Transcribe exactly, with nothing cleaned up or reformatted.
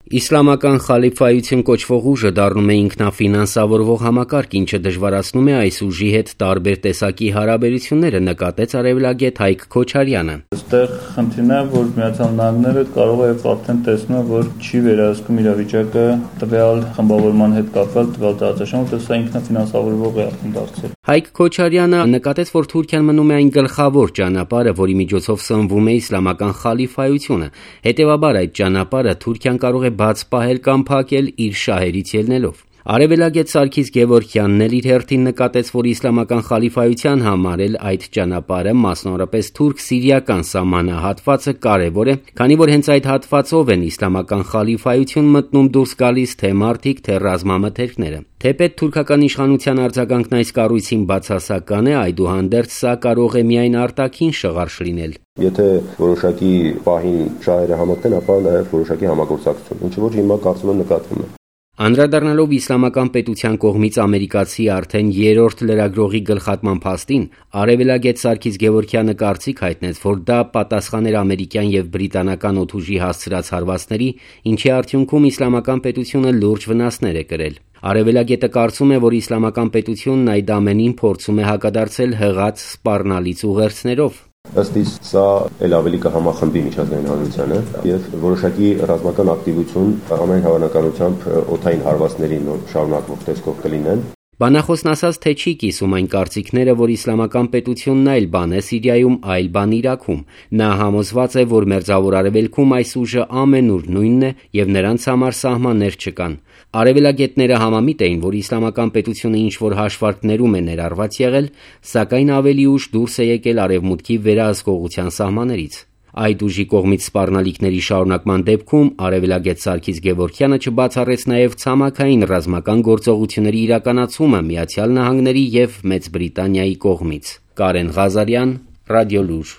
Իսլամական խալիֆայություն կոչվող ուժը դառնում է ինքնաֆինանսավորվող համակարգ, ինչը դժվարացնում է այս ուժի հետ տարբեր տեսակի հարաբերությունները, նկատեց արևելագետ Հայկ Քոչարյանը։ Այստեղ խնդիրն է, որ Միացյալ Նահանգները կարող է արդեն տեսնում, որ չի վերահսկում իրավիճակը տվյալ խմբավորման հետ կապված տվյալ տարածաշրջանում, որտեղ սա ինքնաֆինանսավորվող է արդեն դարձել։ Հայկ Քոչարյանը նկատեց, որ Թուրքիան մնում է այն գլխավոր ճանապարհը, որի միջոցով սնվում է իսլամական խալիֆայությունը։ Հետևաբար այդ ճանապարհը Թուրքիան կարող է բաց պահել կամ փակել իր շահերից ելնելով։ Արևելագետ Սարգիս Գևորգյանն էլ իր հերթին նկատեց, որ իսլամական խալիֆայության համար էլ այդ ճանապարհը, մասնավորապես թուրք-սիրիական սահմանահատվածը կարևոր է, քանի որ հենց այդ հատվածով են իսլամական խալիֆայություն մտնում դուրս գալիս թե մարդիկ, թե ռազմամթերքները։ Թեպետ թուրքական իշխանության արձագանքն այս կառույցին բացասական է, այդուհանդերձ սա կարող է միայն արտաքին շղարշ լինել։ Եթե որոշակի պահին շահերը համընկնեն, ապա նաև որոշակի համագործակցություն, ինչը որ հիմա կարծում եմ նկատվում է։ Անդրադառնալով իսլամական պետության կողմից ամերիկացի արդեն երրորդ լրագրողի գլխատման փաստին, արևելագետ Սարգիս Գևորգյանը կարծիք հայտնեց, որ դա պատասխան էր ամերիկյան եւ բրիտանական օդուժի հասցրած հարվածների, ինչի արդյունքում իսլամական պետությունը լուրջ վնասներ է կրել։ Արևելագետը կարծում է, որ իսլամական պետությունն այդ ամենին փորձում է հակադարձել հղած սպառնալից ուղերձներով։ Ըստ իս սա էլ ավելի կհամախմբի միջազգային հանրությանը եւ որոշակի ռազմական ակտիվություն ամեն հավանականությամբ օդային հարվածներին շարունակվող տեսքով կլինեն։ Բանախոսն ասաց, թե չի կիսում այն կարծիքները, որ իսլամական պետությունն այլ բան է Սիրիայում, այլ բան Իրաքում։ Նա համոզված է, որ Մերձավոր Արևելքում այս ուժը ամենուր նույնն է եւ նրանց համար սահմաններ չկան։ Արևելագետները համամիտ էին, որ իսլամական պետությունը ինչ-որ հաշվարկներում է ներառված եղել, սակայն ավելի ուշ դուրս է եկել արևմուտքի վերահսկողության սահմաններից։ Այդ ուժի կողմից սպառնալիքների շարունակման դեպքում արևելագետ Սարգիս Գևորգյանը չբացառեց նաև ցամաքային ռազմական գործողությունների իրականացումը Միացյալ Նահանգների եւ Մեծ Բրիտանիայի կողմից։ Կարեն Ղազարյան, Ռադիոլուր։